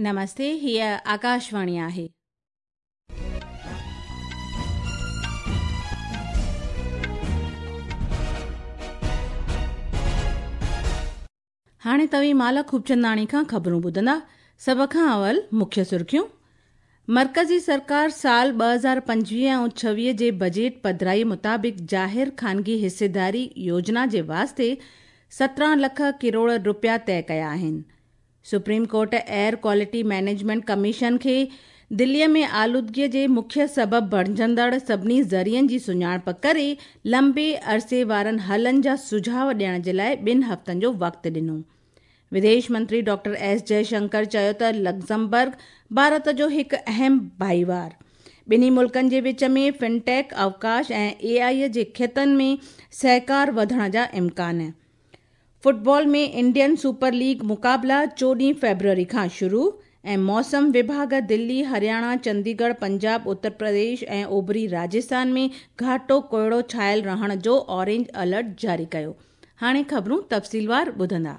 نمستي، هيء آڪاشواڻي آهي. هاڻي توهين مالا خوبچنداڻي کان خبرون ٻڌندا. سڀ کان اول مکيه سرخيون. مرڪزي سرڪار سال 2025 ۽ 26 جي بجيٽ پڌرائي مطابق ظاهر خانگي حصيداري يوجنا جي واسطي 17 لک ڪروڙ رپيا طئي ڪيا آهن. Supreme court air quality management commission کي دلي ۾ آلودگي جي مکيه سبب بڻجندڙ سڀني ذريعن جي سڃاڻپ ڪري لمبي عرصي وارن حلن جا سجهاء ڏيڻ جي لاء 2 هفتن جو وقت ڏنو. وديش منتري ڊاڪٽر ايس جئشنڪر چيو ته لگزمبرگ ڀارت جو هڪ اهم ڀائيوار، ٻنهي ملڪن جي وچ ۾ فنٽيڪ، اوڪاش ۽ اي آء جي کيتن ۾ سهڪار وڌڻ جا امڪان. فٽبال ۾ انڊين سپر ليگ مقابلا 14 فيبروري کان شروع ۽ موسم وڀاڳ دلي، هرياڻا، چنديڳڙهه، پنجاب، اتر پرديش ۽ اوڀري راجسٿان ۾ گهاٽو ڪوهيڙو ڇانيل رهڻ جو اورينج الرٽ جاري ڪيو. هاڻي خبرون تفصيلوار ٻڌندا.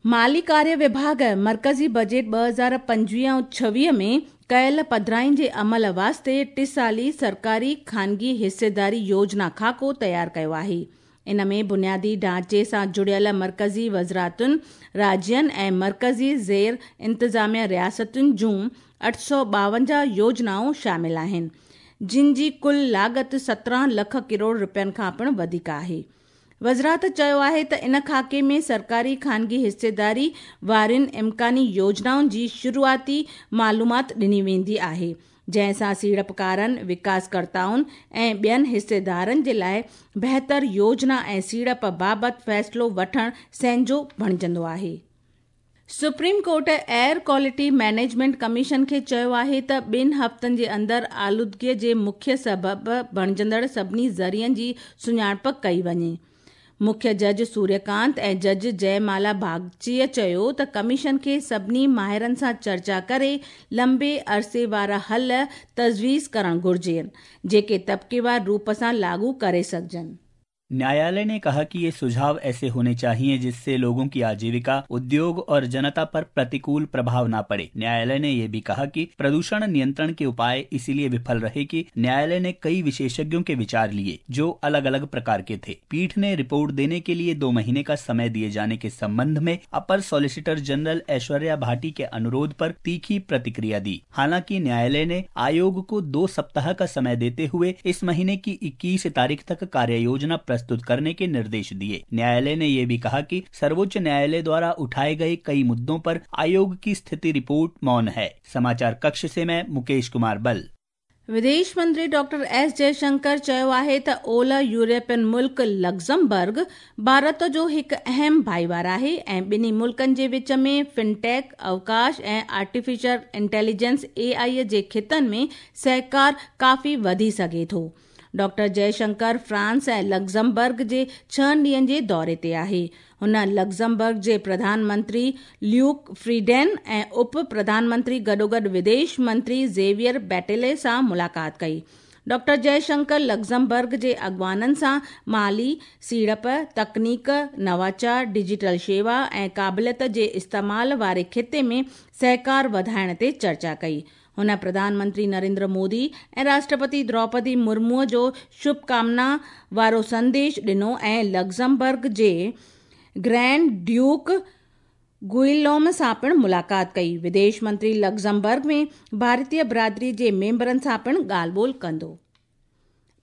مالي ڪاريه وڀاڳ مرڪزي بجيٽ 2025 ۽ 26 ۾ ڪيل پڌرائين جي عمل واسطي ٽسالي سرڪاري خانگي حصيداري يوجنا خاڪو تيار ڪيو آهي. ان ۾ بنيادي ڍانچي سان جڙيل مرڪزي وزارتن، راجين ۽ مرڪزي زير انتظاميه رياستن جون 852 يوجنائون شامل آهن، جن جي ڪل لاڳت 17 لک ڪروڙ رپين کان پڻ وڌيڪ آهي. وزارت چيو آهي ته ان خاڪي ۾ سرڪاري خانگي حصيداري وارين امڪاني يوجنائن جي شروعاتي معلومات ڏني ويندي آهي، جنهن سان سيڙپڪارن، وڪاسڪرتائن ۽ ٻين حصيدارن جي لاء بهتر يوجنا ۽ سيڙپ بابت فيصلو وٺڻ سهنجو بڻجندو آهي. Supreme court air quality management commission کي چيو آهي ته 2 هفتن جي اندر آلودگي جي مکيه سبب بڻجندڙ سڀني ذريعن جي سڃاڻپ ڪئي وڃي. مکيه جج سوريه ڪانت ۽ جج جئه مالا باگچيء چيو ته ڪميشن کي سڀني ماهرن سان چرچا ڪري لمبي عرصي وارا حل تجويز ڪرڻ گهرجن، جيڪي طبقيوار روپ سان لاڳو ڪري سگهجن. न्यायालय ने कहा कि ये सुझाव ऐसे होने चाहिए जिससे लोगों की आजीविका, उद्योग और जनता पर प्रतिकूल प्रभाव न पड़े। न्यायालय ने यह भी कहा कि प्रदूषण नियंत्रण के उपाय इसीलिए विफल रहे कि न्यायालय ने कई विशेषज्ञों के विचार लिए जो अलग अलग प्रकार के थे। पीठ ने रिपोर्ट देने के लिए 2 महीने का समय दिए जाने के संबंध में अपर सॉलिसिटर जनरल ऐश्वर्या भाटी के अनुरोध पर तीखी प्रतिक्रिया दी। हालांकि न्यायालय ने आयोग को 2 सप्ताह का समय देते हुए इस महीने की 21 तारीख तक कार्य योजना प्रस्तुत करने के निर्देश दिए। न्यायालय ने यह भी कहा कि सर्वोच्च न्यायालय द्वारा उठाए गए कई मुद्दों पर आयोग की स्थिति रिपोर्ट मौन है। समाचार कक्ष से मैं मुकेश कुमार बल। विदेश मंत्री डॉक्टर एस जयशंकर चयो आहे त ओलह यूरोपियन मुल्क लग्जमबर्ग भारत जो हिकु अहम भाईवार आहे ऐं ॿिन्ही मुल्कनि जे विच में फिनटेक, अवकाश ऐं आर्टिफिशियल इंटेलिजेंस ए आई जे खितनि में सहकार काफ़ी वधी सघे थो। डॉक्टर जयशंकर फ्रांस ऐं लग्जमबर्ग जे 6 ॾींहनि जे दौरे ते आहे। हुन लग्जमबर्ग जे प्रधानमंत्री ल्यूक फ्रीडेन ऐं उप प्रधानमंत्री गॾोगॾु विदेश मंत्री ज़ेवियर बेटेले सां मुलाक़ात कई। डॉक्टर जयशंकर लग्जमबर्ग जे अॻवाननि सां माली सीड़प, तकनीक, नवाचार, डिजिटल शेवा ऐं क़ाबिलियत जे इस्तेमाल वारे खिते में सहकार वधाइण ते चर्चा कई। हुन प्रधानमंत्री नरेंद्र मोदी ऐं राष्ट्रपति द्रौपदी मुर्मूअ जो शुभकामना वारो संदेश ॾिनो ऐं लग्जमबर्ग जे ग्रैंड ड्यूक गुइलोम सां पिणु मुलाक़ात कई। विदेश मंत्री लग्जमबर्ग में भारतीय बिरादरी जे मेंबरनि सां पिणु ॻाल्हि ॿोल कंदो।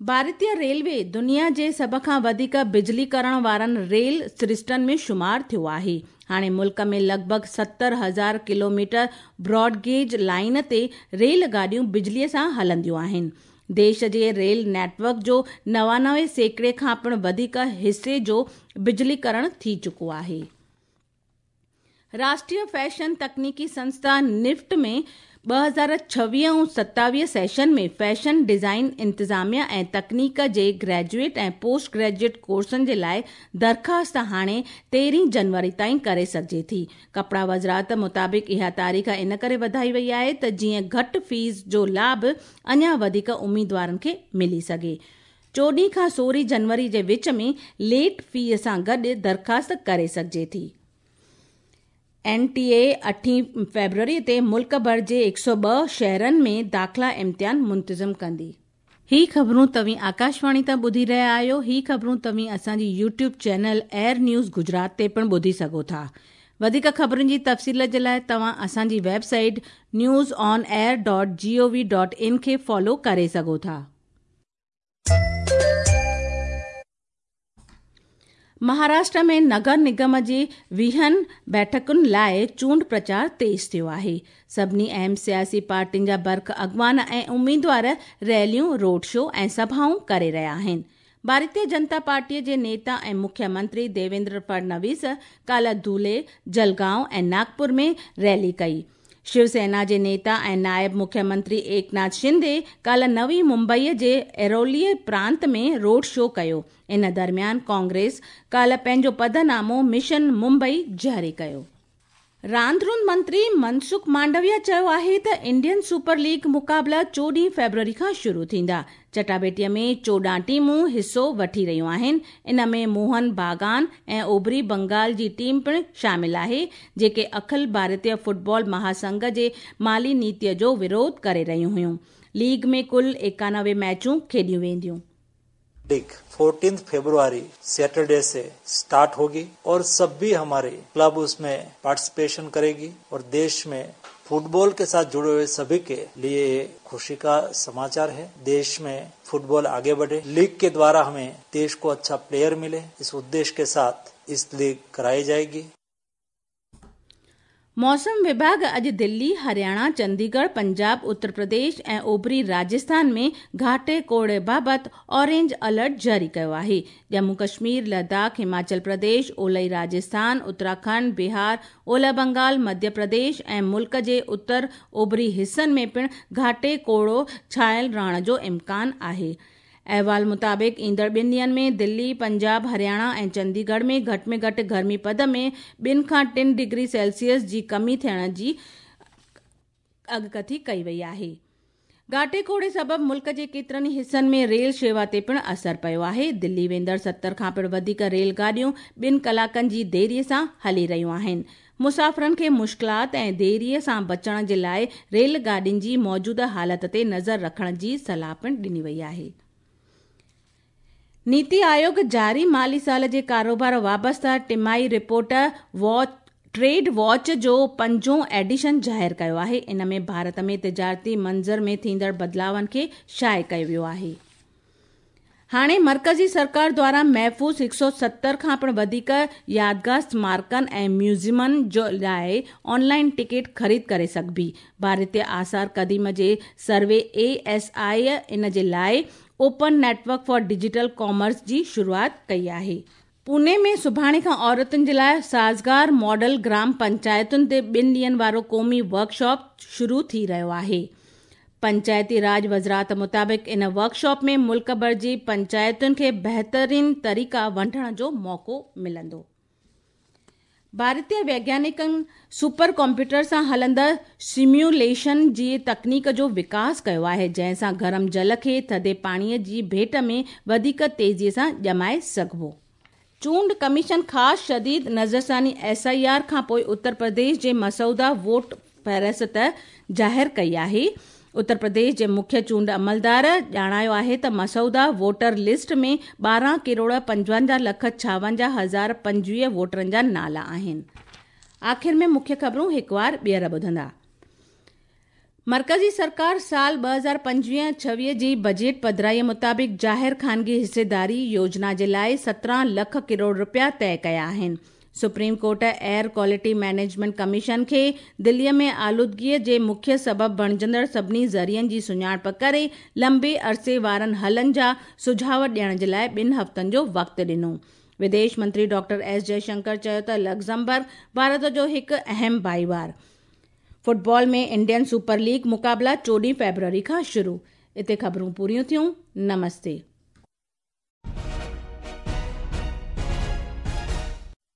भारतीय रेलवे दुनिया जे सभ खां वधीक बिजली करण वारनि रेल सरिश्तनि में शुमार थियो आहे। हाणे मुल्क में लॻभॻि 70,000 किलोमीटर ब्रॉडगेज लाइन ते रेल गाॾियूं बिजलीअ सां हलंदियूं आहिनि। देश जे रेल नेटवर्क जो 99% खां पिणु वधीक हिसे जो बिजलीकरण थी चुको आहे। राष्ट्रीय फैशन तकनीकी संस्था निफ्ट में 2026 ऐं 27 सेशन में फैशन डिज़ाइन इंतिज़ामिया ऐं तकनीक जे ग्रेजुएट ऐं पोस्ट ग्रेजुएट कोर्सनि जे लाइ दरख़्वास्त हाणे 13 जनवरी ताईं करे सघिजे थी। कपिड़ा वज़ारत मुताबिक़ इहा तारीख़ इन करे वधाई वई आहे त जीअं घटि फीस जो लाभ अञा वधीक उम्मीदवारनि खे मिली सघे। 14 खां 16 जनवरी जे विच में लेट फी सां गॾु दरख़्वास्त करे सघिजे थी। اين ٽي اي اٺين فيبروري تي ملڪ ڀر جي 102 شهرن ۾ داخلا امتحان منتظم ڪندي. هي خبرون توهين آڪاشواڻي تان ٻڌي رهيا آهيو. هي خبرون توهين اسان جي YouTube channel AIR news Gujarat تي پڻ ٻڌي سگهو ٿا. وڌيڪ خبرن جي تفصيل جي لاء توهان اسان جي website news on air dot G O V dot in کي فالو ڪري سگهو ٿا. مهاراشٽر ۾ نگر نگم جي ويهن بيٺڪن لاء چونڊ پرچار تيز ٿيو آهي. سڀني اهم سياسي پارٽين جا برک اڳواڻ ۽ اميدوار ريليون، روڊ شو ۽ سڀائون ڪري رهيا آهن. ڀارتيه جنتا پارٽيء جي نيتا ۽ مکيه منتري ديويندر فڙنويس ڪالهه ڌولي، جلگائون ۽ ناگپور ۾ ريلي ڪئي. شو سينا جي نيتا ۽ نائب مکيه منتري ايڪناٿ شندي ڪالهه نوي ممبئي جي ايرولي پرانت ۾ روڊ شو ڪيو. ان درميان ڪانگريس ڪالهه پنهنجو پڌرنامو مشن ممبئي جاري ڪيو. راند روند منتري منسک مانڊويا چيو آهي ته انڊين سپر ليگ مقابلا 14 فيبروري کان شروع ٿيندا. چٽاڀيٽي ۾ 14 ٽيمون حصو وٺي رهيون آهن. ان ۾ موهن باگان ۽ اوڀري بنگال جي ٽيم پڻ شامل آهي، جيڪي اکل ڀارتيه فٽبال مهاسنگهه جي مالي نيتي جو وروڌ ڪري رهيون هيون. ليگ ۾ ڪل 91 ميچون کيڏيون وينديون. लीग 14 फरवरी सैटरडे से स्टार्ट होगी और सभी हमारे क्लब उसमें पार्टिसिपेशन करेगी और देश में फुटबॉल के साथ जुड़े हुए सभी के लिए ये खुशी का समाचार है। देश में फुटबॉल आगे बढ़े, लीग के द्वारा हमें देश को अच्छा प्लेयर मिले, इस उद्देश्य के साथ इस लीग कराई जाएगी। मौसम विभाग अॼु दिल्ली, हरियाणा, चंडीगढ़, पंजाब, उत्तर प्रदेश ऐं ओभरी राजस्थान में घाटे कोहरे बाबति ऑरेंज अलर्ट जारी कयो आहे। ڄمون ڪشمير، لداخ، هماچل پرديش، اولهي راجسٿان، اتراکنڊ، بهار، اولهه بنگال، مڌيه پرديش ۽ ملڪ جي اتر اوڀري حصن ۾ پڻ گهاٽي ڪوهيڙو ڇانيل رهڻ جو امڪان آهي. احوال مطابق ايندڙ ٻن ڏينهن ۾ دلي، پنجاب، هرياڻا ۽ چنديڳڙهه ۾ گهٽ ۾ گهٽ گرمي پد ۾ 2 کان 3 ڊگري سيلسيس جي ڪمي ٿيڻ جي اڳڪٿي ڪئي وئي آهي. گهاٽي ڪوهيڙي سبب ملڪ جي ڪيترن ئي حصن ۾ ريل شيوا تي پڻ اثر پيو آهي. دلي ويندڙ 70 کان پڻ وڌيڪ ريل گاڏيون 2 ڪلاڪن جي ديري سان هلي رهيون آهن. مسافرن کي مشڪلات ۽ ديري سان بچڻ جي لاء ريل گاڏين جي موجوده حالت تي نظر رکڻ جي صلاح پڻ ڏني وئي آهي. نيتي آيوگ جاري مالي سال جي ڪاروبار وابسته ٽماهي رپورٽ واچ ٽريڊ واچ جو پنجون ايڊيشن ظاهر ڪيو آهي. ان ۾ ڀارت ۾ تجارتي منظر ۾ ٿيندڙ بدلاون کي شايع ڪيو ويو آهي. هاڻي مرڪزي سرڪار دواران محفوظ 170 کان پڻ وڌيڪ يادگار سمارڪن ۽ ميوزيمن جي لاء آن لائن ٽڪيٽ خريد ڪري سگهبي. ڀارتيه آثار قديم جي سروي اي ايس I ان جي لاء open network for digital commerce جي شروعات ڪئي آهي. پوني ۾ سڀاڻي کان عورتن جي لاء سازگار ماڊل گرام پنچائتن تي ٻن ڏينهن وارو قومي ورڪشاپ شروع ٿي رهيو آهي. پنچائتي راڄ وزارت مطابق ان ورڪشاپ ۾ ملڪ ڀر جي پنچائتن کي بهترين طريقا ونڊڻ جو موقعو ملندو. ڀارتيه ويگيانڪن سپر ڪمپيوٽر سان هلندڙ سميوليشن جي تڪنيڪ جو وڪاس ڪيو آهي، جنهن سان گرم جل کي ٿڌي پاڻي جي ڀيٽ ۾ وڌيڪ تيزي سان ڄمائي سگهبو. چونڊ ڪميشن خاص شديد نظرثاني ايس I R کانپوء اتر پرديش جي مسوده ووٽ فهرست ظاهر ڪئي آهي. اتر پرديش جي مکيه چونڊ عملدار ڄاڻايو آهي ته مسوده ووٽر لسٽ ۾ 12 ڪروڙ 55 لک 56 هزار 25 ووٽرن جا نالا آهن. آخر ۾ مکيه خبرون هڪوار ٻيهر ٻڌندا. مرڪزي سرڪار سال 2025-26 جي بجيٽ پڌرائي مطابق ظاهر خانگي حصيداري يوجنا جي لاء 17 لک ڪروڙ رپيا طئي ڪيا آهن. Supreme court air quality management commission کي دلي ۾ آلودگي جي مکيه سبب بڻجندڙ سڀني ذريعن جي سڃاڻپ ڪري لمبي عرصي وارن حلن جا سجهاء ڏيڻ جي لاء 2 هفتن جو وقت ڏنو. وديش منتري ڊاڪٽر ايس جئشنڪر چيو ته لگزمبرگ ڀارت جو هڪ اهم ڀائيوار. فٽبال ۾ انڊين سپر ليگ مقابلا 14 فيبروري کان شروع. اتي خبرون پوريون ٿيون. نمستي.